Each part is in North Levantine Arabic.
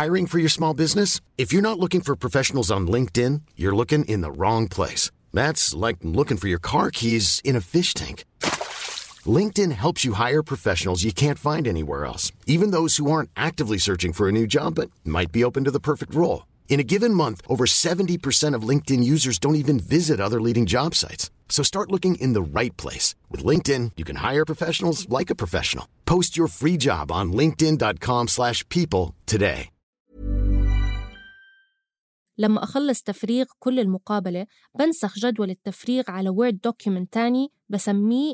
Hiring for your small business? If you're not looking for professionals on LinkedIn, you're looking in the wrong place. That's like looking for your car keys in a fish tank. LinkedIn helps you hire professionals you can't find anywhere else, even those who aren't actively searching for a new job but might be open to the perfect role. In a given month, over 70% of LinkedIn users don't even visit other leading job sites. So start looking in the right place. With LinkedIn, you can hire professionals like a professional. Post your free job on linkedin.com/people today. لما أخلص تفريغ كل المقابلة بنسخ جدول التفريغ على وورد دوكيومنت تاني بسميه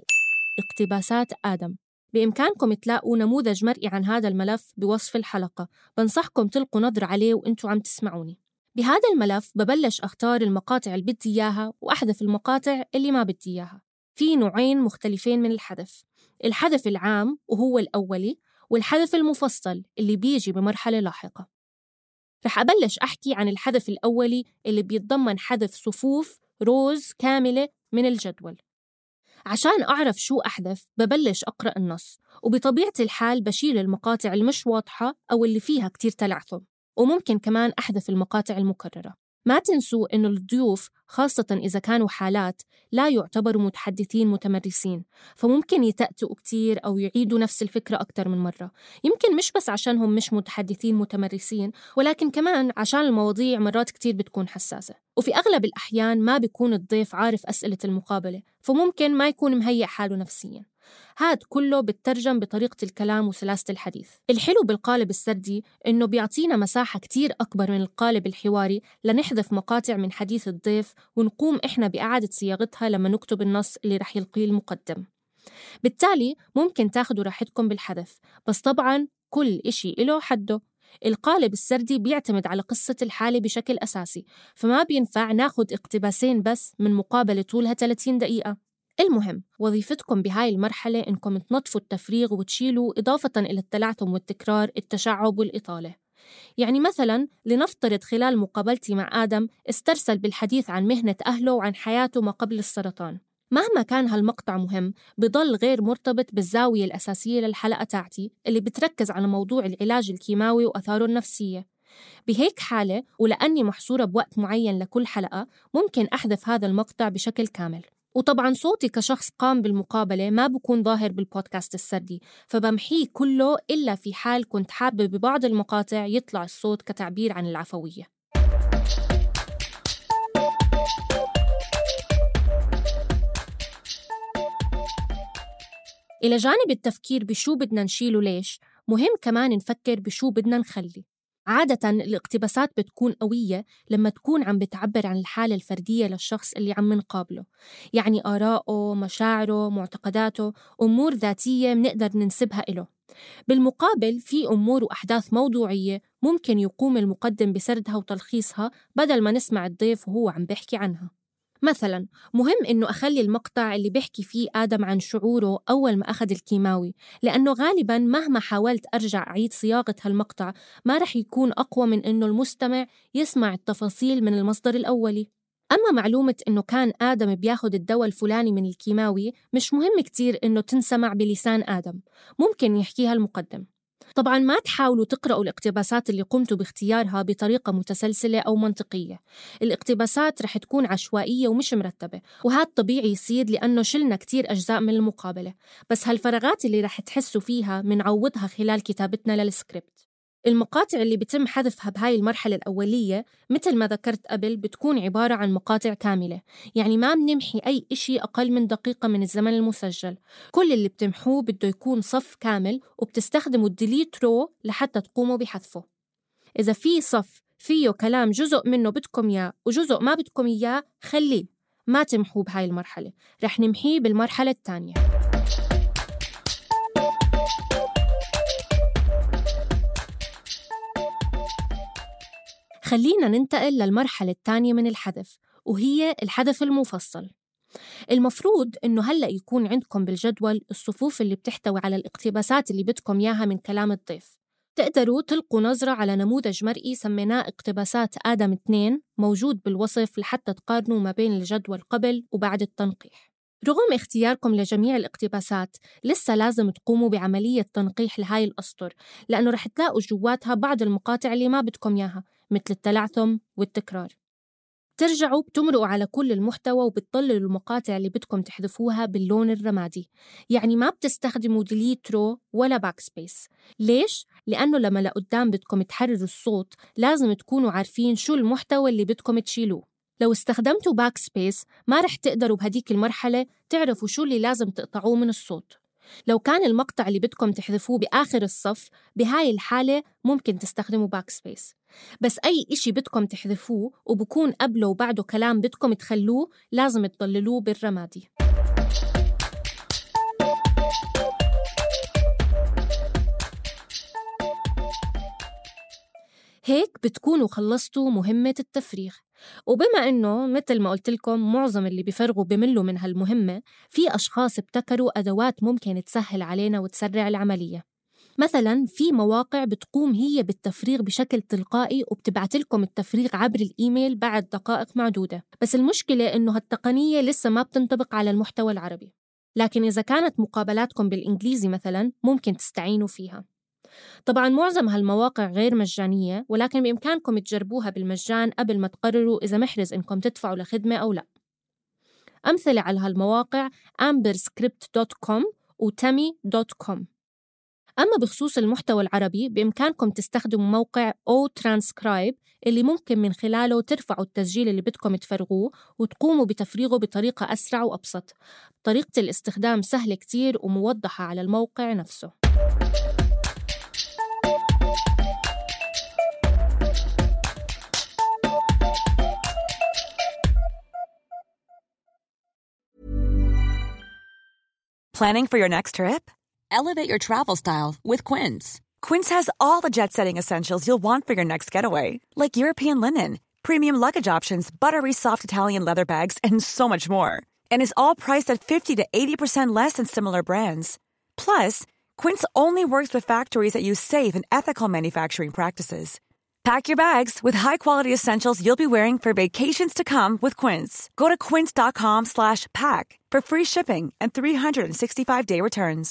اقتباسات آدم. بإمكانكم تلاقوا نموذج مرئي عن هذا الملف بوصف الحلقة، بنصحكم تلقوا نظر عليه وإنتوا عم تسمعوني. بهذا الملف ببلش أختار المقاطع اللي بدي إياها وأحذف المقاطع اللي ما بدي إياها. في نوعين مختلفين من الحذف: الحذف العام وهو الأولي، والحذف المفصل اللي بيجي بمرحلة لاحقة. رح أبلش أحكي عن الحذف الأولي اللي بيتضمن حذف صفوف روز كاملة من الجدول. عشان أعرف شو أحذف ببلش أقرأ النص، وبطبيعة الحال بشيل المقاطع المش واضحة أو اللي فيها كتير تلعثم، وممكن كمان أحذف المقاطع المكررة. ما تنسوا إنه الضيوف خاصة إذا كانوا حالات لا يعتبروا متحدثين متمرسين، فممكن يتأتوا كتير أو يعيدوا نفس الفكرة أكتر من مرة، يمكن مش بس عشانهم مش متحدثين متمرسين، ولكن كمان عشان المواضيع مرات كتير بتكون حساسة، وفي أغلب الأحيان ما بيكون الضيف عارف أسئلة المقابلة، فممكن ما يكون مهيئ حاله نفسياً. هاد كله بترجم بطريقة الكلام وسلاسة الحديث. الحلو بالقالب السردي إنه بيعطينا مساحة كتير أكبر من القالب الحواري لنحذف مقاطع من حديث الضيف ونقوم إحنا بإعادة صياغتها لما نكتب النص اللي رح يلقيه المقدم. بالتالي ممكن تاخدوا راحتكم بالحذف، بس طبعاً كل إشي إله حده. القالب السردي بيعتمد على قصة الحالة بشكل أساسي، فما بينفع ناخد اقتباسين بس من مقابلة طولها 30 دقيقة. المهم وظيفتكم بهاي المرحلة إنكم تنظفوا التفريغ وتشيلوا إضافة إلى التلعثم والتكرار التشعب والإطالة. يعني مثلاً لنفترض خلال مقابلتي مع آدم استرسل بالحديث عن مهنة أهله وعن حياته ما قبل السرطان. مهما كان هالمقطع مهم بضل غير مرتبط بالزاوية الأساسية للحلقة تاعتي اللي بتركز على موضوع العلاج الكيماوي وأثاره النفسية. بهيك حالة ولأني محصورة بوقت معين لكل حلقة ممكن أحذف هذا المقطع بشكل كامل. وطبعاً صوتي كشخص قام بالمقابلة ما بكون ظاهر بالبودكاست السردي، فبمحيه كله إلا في حال كنت حابة ببعض المقاطع يطلع الصوت كتعبير عن العفوية. إلى جانب التفكير بشو بدنا نشيل وليش، مهم كمان نفكر بشو بدنا نخلي. عادة الاقتباسات بتكون قوية لما تكون عم بتعبر عن الحالة الفردية للشخص اللي عم نقابله، يعني آراءه، مشاعره، معتقداته، أمور ذاتية منقدر ننسبها إله. بالمقابل في أمور وأحداث موضوعية ممكن يقوم المقدم بسردها وتلخيصها بدل ما نسمع الضيف وهو عم بيحكي عنها. مثلاً مهم إنه أخلي المقطع اللي بيحكي فيه آدم عن شعوره أول ما أخذ الكيماوي، لأنه غالباً مهما حاولت أرجع أعيد صياغة هالمقطع ما رح يكون أقوى من إنه المستمع يسمع التفاصيل من المصدر الأولي. أما معلومة إنه كان آدم بياخد الدواء الفلاني من الكيماوي مش مهم كتير إنه تنسمع بلسان آدم، ممكن يحكيها المقدم. طبعاً ما تحاولوا تقرأوا الاقتباسات اللي قمتوا باختيارها بطريقة متسلسلة أو منطقية. الاقتباسات رح تكون عشوائية ومش مرتبة، وهذا طبيعي يصير لأنه شلنا كتير أجزاء من المقابلة، بس هالفراغات اللي رح تحسوا فيها منعوضها خلال كتابتنا للسكريبت. المقاطع اللي بيتم حذفها بهاي المرحلة الأولية مثل ما ذكرت قبل بتكون عبارة عن مقاطع كاملة، يعني ما بنمحي أي إشي أقل من دقيقة من الزمن المسجل. كل اللي بتمحوه بده يكون صف كامل، وبتستخدموا الديليت رو لحتى تقوموا بحذفه. إذا في صف فيه كلام جزء منه بدكم إياه وجزء ما بدكم إياه خليه، ما تمحوه بهاي المرحلة، رح نمحيه بالمرحلة الثانية. خلينا ننتقل للمرحلة الثانية من الحذف، وهي الحذف المفصل. المفروض إنه هلأ يكون عندكم بالجدول الصفوف اللي بتحتوي على الاقتباسات اللي بدكم إياها من كلام الضيف. تقدروا تلقوا نظرة على نموذج مرئي سميناه اقتباسات آدم 2 موجود بالوصف لحتى تقارنوا ما بين الجدول قبل وبعد التنقيح. رغم اختياركم لجميع الاقتباسات، لسه لازم تقوموا بعملية تنقيح لهاي الأسطر، لأنه رح تلاقوا جواتها بعض المقاطع اللي ما بدكم ياها، مثل التلعثم والتكرار. ترجعوا بتمرقوا على كل المحتوى وبتطللوا المقاطع اللي بدكم تحذفوها باللون الرمادي، يعني ما بتستخدموا ديليت رو ولا باك سبيس. ليش؟ لأنه لما لقدام بدكم تحرروا الصوت لازم تكونوا عارفين شو المحتوى اللي بدكم تشيلوه. لو استخدمتوا باك سبيس ما رح تقدروا بهديك المرحلة تعرفوا شو اللي لازم تقطعوه من الصوت. لو كان المقطع اللي بدكم تحذفوه بآخر الصف، بهاي الحالة ممكن تستخدموا باك سبيس. بس أي إشي بدكم تحذفوه وبكون قبله وبعده كلام بدكم تخلوه لازم تضللوه بالرمادي. هيك بتكونوا خلصتوا مهمة التفريغ. وبما إنه مثل ما قلت لكم معظم اللي بيفرغوا بملوا من هالمهمة، في أشخاص ابتكروا أدوات ممكن تسهل علينا وتسرع العملية. مثلاً في مواقع بتقوم هي بالتفريغ بشكل تلقائي وبتبعت لكم التفريغ عبر الإيميل بعد دقائق معدودة. بس المشكلة إنه هالتقنية لسه ما بتنطبق على المحتوى العربي، لكن إذا كانت مقابلاتكم بالإنجليزي مثلاً ممكن تستعينوا فيها. طبعاً معظم هالمواقع غير مجانية، ولكن بإمكانكم تجربوها بالمجان قبل ما تقرروا إذا محرز إنكم تدفعوا لخدمة أو لا. أمثلة على هالمواقع amberscript.com و tami.com. أما بخصوص المحتوى العربي بإمكانكم تستخدموا موقع OTranscribe اللي ممكن من خلاله ترفعوا التسجيل اللي بدكم تفرغوه وتقوموا بتفريغه بطريقة أسرع وأبسط. طريقة الاستخدام سهلة كتير وموضحة على الموقع نفسه. Planning for your next trip? Elevate your travel style with Quince. Quince has all the jet-setting essentials you'll want for your next getaway, like European linen, premium luggage options, buttery soft Italian leather bags, and so much more. And is all priced at 50 to 80% less than similar brands. Plus, Quince only works with factories that use safe and ethical manufacturing practices. Pack your bags with high-quality essentials you'll be wearing for vacations to come with Quince. Go to quince.com/pack for free shipping and 365-day returns.